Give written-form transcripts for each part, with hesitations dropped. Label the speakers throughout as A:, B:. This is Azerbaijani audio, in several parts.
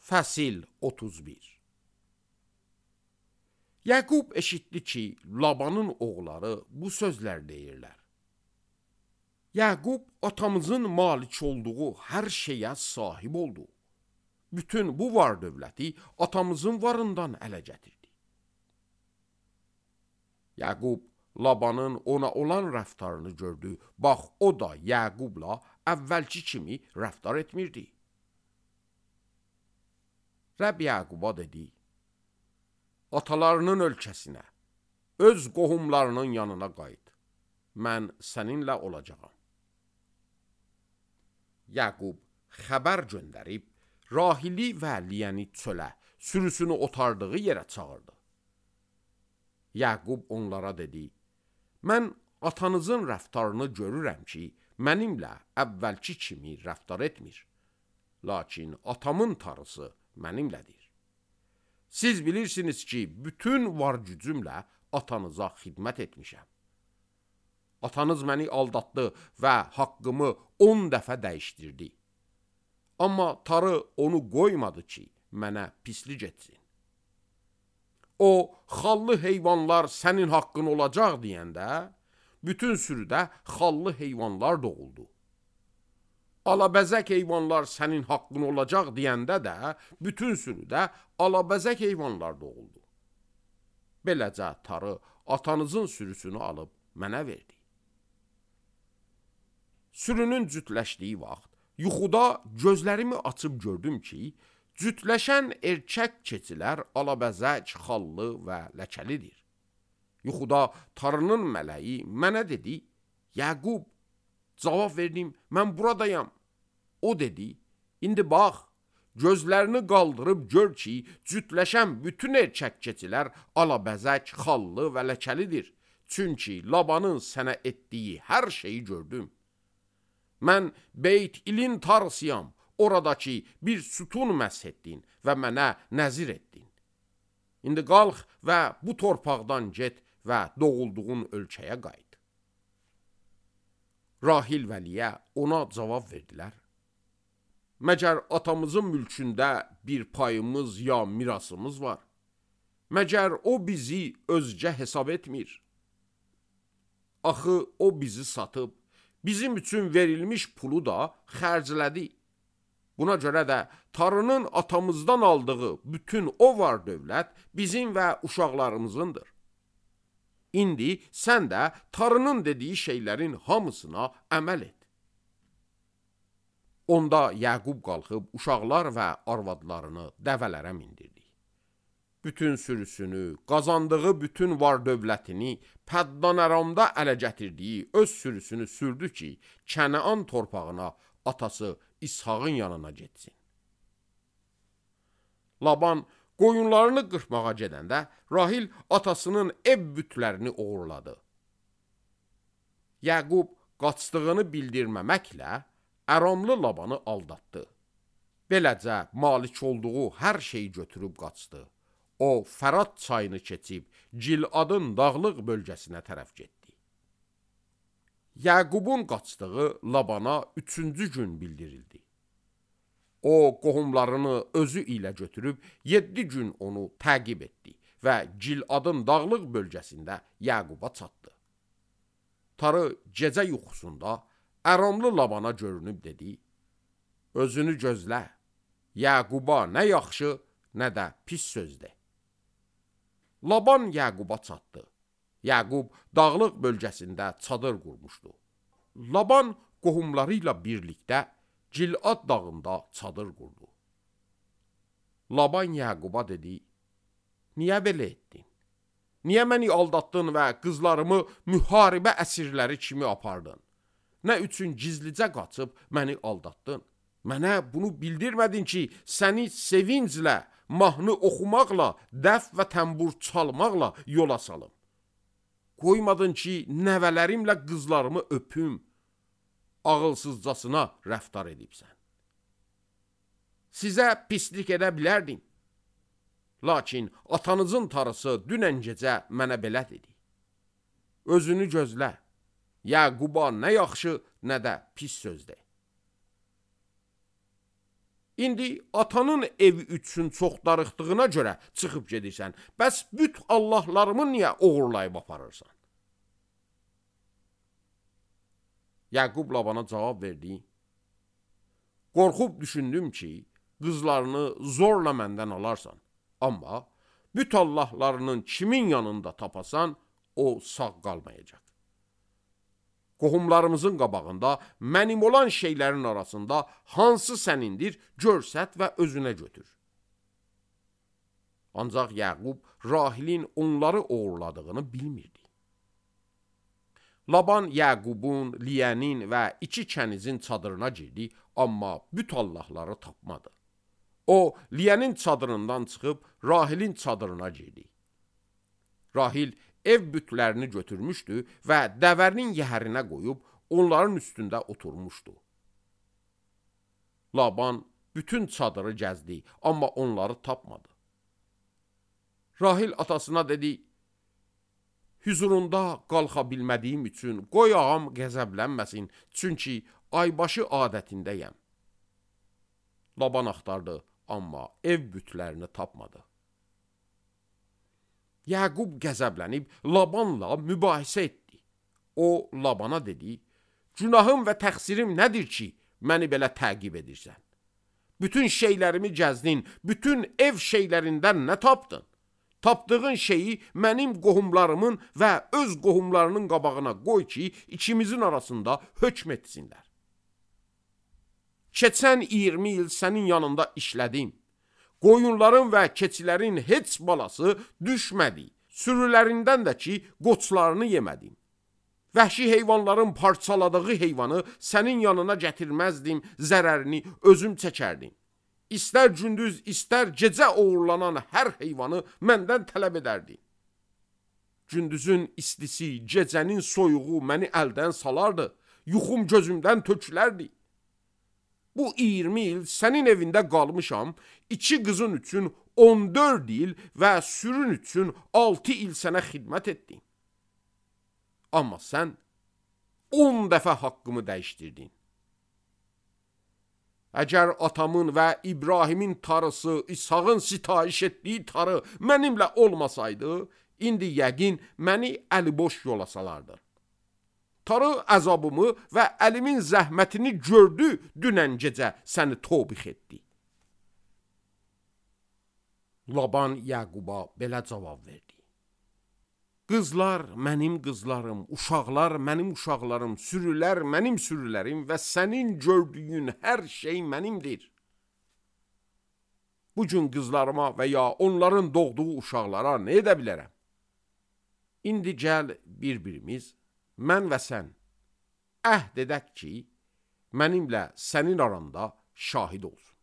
A: Fəsil 31. Yəqub eşitdi ki, Labanın oğulları bu sözlər deyirlər. Yəqub atamızın malik olduğu hər şeyə sahib oldu. Bütün bu var dövləti atamızın varından ələ gətirdi. Yəqub Labanın ona olan rəftarını gördü. Bax, o da Yəqubla əvvəlki kimi rəftar etmirdi. Rəbb Yəquba dedi, atalarının ölkəsinə, öz qohumlarının yanına qayıt. Mən səninlə olacağam. Yəqub xəbər göndərib, Rahili və Liyəni çölə, sürüsünü otardığı yerə çağırdı. Yəqub onlara dedi, mən atanızın rəftarını görürəm ki, mənimlə əvvəlki kimi rəftar etmir. Lakin atamın tarısı mənimlədir. Siz bilirsiniz ki, bütün var gücümlə atanıza xidmət etmişəm. Atanız məni aldatdı və haqqımı 10 dəfə dəyişdirdi. Amma tarı onu qoymadı ki, mənə pislik etsin. O, xallı heyvanlar sənin haqqın olacaq deyəndə, bütün sürüdə xallı heyvanlar doğuldu. Alabəzək heyvanlar sənin haqqın olacaq deyəndə də, bütün sürüdə alabəzək heyvanlar doğuldu. Beləcə tarı atanızın sürüsünü alıb mənə verdi. Sürünün cütləşdiyi vaxt, yuxuda gözlərimi açıb gördüm ki, cütləşən erkək keçilər alabəzək, xallı və ləkəlidir. Yuxuda tarının mələyi mənə dedi, Yəqub, cavab verdim, mən buradayam. O dedi, indi bax, gözlərini qaldırıb gör ki, cütləşən bütün erkək keçilər alabəzək, xallı və ləkəlidir. Çünki Labanın sənə etdiyi hər şeyi gördüm. Mən Beyt İlin tarısıyam, oradakı bir sütun məsh etdin və mənə nəzir etdin. İndi qalx və bu torpaqdan get və doğulduğun ölkəyə qayıt. Rahil və Liyə ona cavab verdilər. Məgər atamızın mülkündə bir payımız ya mirasımız var? Məgər o bizi özcə hesab etmir? Axı o bizi satıb, bizim üçün verilmiş pulu da xərclədi. Buna görə də tarının atamızdan aldığı bütün o var dövlət bizim və uşaqlarımızındır. İndi sən də tarının dediyi şeylərin hamısına əməl et. Onda Yəqub qalxıb uşaqlar və arvadlarını dəvələrə mindirdi. Bütün sürüsünü, qazandığı bütün var dövlətini, Pəddan Əramda ələ gətirdiyi öz sürüsünü sürdü ki, Kənaan torpağına atası İshağın yanına getsin. Laban qoyunlarını qırpmağa gedəndə Rahil atasının ev bütlərini oğurladı. Yəqub qaçdığını bildirməməklə Əramlı Labanı aldatdı. Beləcə malik olduğu hər şeyi götürüb qaçdı. O, Fərat çayını keçib Giladın dağlıq bölgəsinə tərəf getdi. Yəqubun qaçdığı Labana 3-cü gün bildirildi. O, qohumlarını özü ilə götürüb 7 gün onu təqib etdi və Giladın dağlıq bölgəsində Yəquba çatdı. Tarı gecə yuxusunda Əramlı Labana görünüb dedi, özünü gözlə, Yəquba nə yaxşı, nə də pis söz de. Laban Yəquba çatdı. Yəqub dağlıq bölgəsində çadır qurmuşdu. Laban qohumları ilə birlikdə Gilad dağında çadır qurdu. Laban Yəquba dedi, niyə belə etdin? Niyə məni aldatdın və qızlarımı müharibə əsirləri kimi apardın? Nə üçün gizlicə qaçıb məni aldatdın? Mənə bunu bildirmədin ki, səni sevinclə, mahnı oxumaqla, dəf və təmbur çalmaqla yola salım. Qoymadın ki, nəvələrimlə qızlarımı öpüm, ağılsızcasına rəftar edibsən. Sizə pislik edə bilərdim. Lakin atanızın tarısı dünən gecə mənə belə dedi. Özünü gözlə, Yəquba nə yaxşı, nə də pis söz de. İndi atanın evi üçün çox darıxdığına görə çıxıb gedirsən. Bəs büt Allahlarımı niyə oğurlayıb aparırsan? Yaqub Labana cavab verdi. Qorxub düşündüm ki, qızlarını zorla məndən alarsan. Amma büt Allahlarının kimin yanında tapasan, o sağ qalmayacaq. Qohumlarımızın qabağında mənim olan şeylərin arasında hansı sənindir, görsət və özünə götür. Ancaq Yaqub Rahilin onları uğurladığını bilmirdi. Laban Yaqubun, Liyənin və iki kənizin çadırına girdi, amma büt Allahları tapmadı. O, Liyənin çadırından çıxıb Rahilin çadırına girdi. Rahil ev bütlərini götürmüşdü və dəvərinin yəhərinə qoyub onların üstündə oturmuşdu. Laban bütün çadırı gəzdi, amma onları tapmadı. Rahil atasına dedi, hüzurunda qalxa bilmədiyim üçün qoy ağam qəzəblənməsin, çünki aybaşı adətindəyəm. Laban axtardı, amma ev bütlərini tapmadı. Yaqub qəzəblənib Labanla mübahisə etdi. O, Labana dedi, günahım və təqsirim nədir ki, məni belə təqib edirsən? Bütün şeylərimi gəzdin, bütün ev şeylərindən nə tapdın? Tapdığın şeyi mənim qohumlarımın və öz qohumlarının qabağına qoy ki, ikimizin arasında hökm etsinlər. Keçən 20 il sənin yanında işlədim. Qoyunların və keçilərin heç balası düşmədi. Sürülərindən də ki, qoçlarını yemədim. Vəhşi heyvanların parçaladığı heyvanı sənin yanına gətirməzdim, zərərini özüm çəkərdim. İstər gündüz, istər gecə uğurlanan hər heyvanı məndən tələb edərdi. Gündüzün istisi, gecənin soyuğu məni əldən salardı, yuxum gözümdən tökülərdi. Bu 20 il sənin evində qalmışam, 2 qızın üçün 14 il və sürün üçün 6 il sənə xidmət etdim. Amma sən 10 dəfə haqqımı dəyişdirdin. Əgər atamın və İbrahimin tarısı, İshağın sitayiş etdiyi tarı mənimlə olmasaydı, indi yəqin məni əliboş yola salardı. Tarı əzabımı və əlimin zəhmətini gördü, dünən gecə səni tobix etdi. Laban Yaquba belə cavab verdi. Qızlar mənim qızlarım, uşaqlar mənim uşaqlarım, sürülər mənim sürülərim və sənin gördüyün hər şey mənimdir. Bugün qızlarıma və ya onların doğduğu uşaqlara nə edə bilərəm? İndi gəl bir-birimiz, mən və sən əhd edək ki, mənimlə sənin aranda şahid olsun.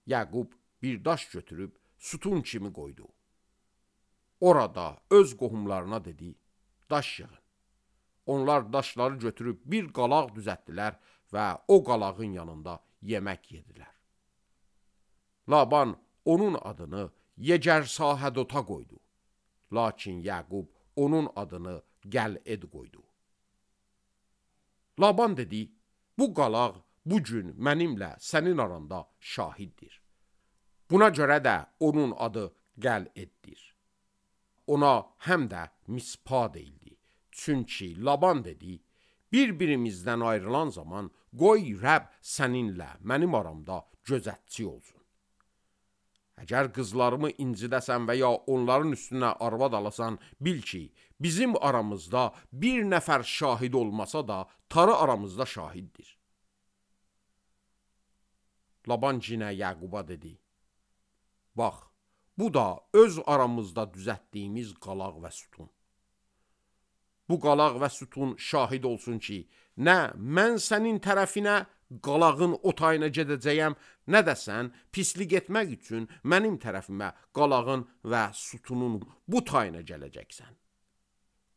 A: Yaqub bir daş götürüb sütun kimi qoydu. Orada öz qohumlarına dedi, daş yığın. Onlar daşları götürüb bir qalaq düzəltdilər və o qalağın yanında yemək yedilər. Laban onun adını Yegər-Sahədota qoydu. Lakin Yaqub onun adını Gəl-Ed qoydu. Laban dedi, bu qalaq bugün mənimlə sənin aranda şahiddir. Buna görə də onun adı Gəl-Eddir. Ona həm də Mispa deyildi. Çünki Laban dedi, bir-birimizdən ayrılan zaman qoy Rəbb səninlə mənim aramda gözətçi olsun. Əgər qızlarımı incidəsən və ya onların üstünə arvad alasan, bil ki, bizim aramızda bir nəfər şahid olmasa da, tarı aramızda şahiddir. Laban cinə Yaquba dedi, bax, bu da öz aramızda düzəltdiyimiz qalaq və sütun. Bu qalaq və sütun şahid olsun ki, nə mən sənin tərəfinə qalağın o tayına gedəcəyəm, nə də sən pislik etmək üçün mənim tərəfimə qalağın və sütunun bu tayına gələcəksən.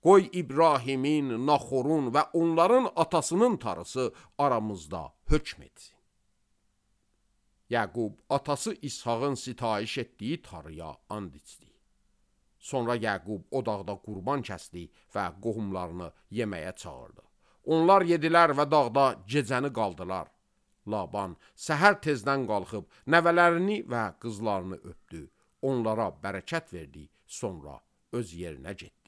A: Qoy İbrahimin, Naxorun və onların atasının tarısı aramızda hökm etsin. Yaqub atası İshağın sitayiş etdiyi tarıya and içdi. Sonra Yaqub o dağda qurban kəsdi və qohumlarını yeməyə çağırdı. Onlar yedilər və dağda gecəni qaldılar. Laban səhər tezdən qalxıb nəvələrini və qızlarını öpdü. Onlara bərəkət verdi, sonra öz yerinə getdi.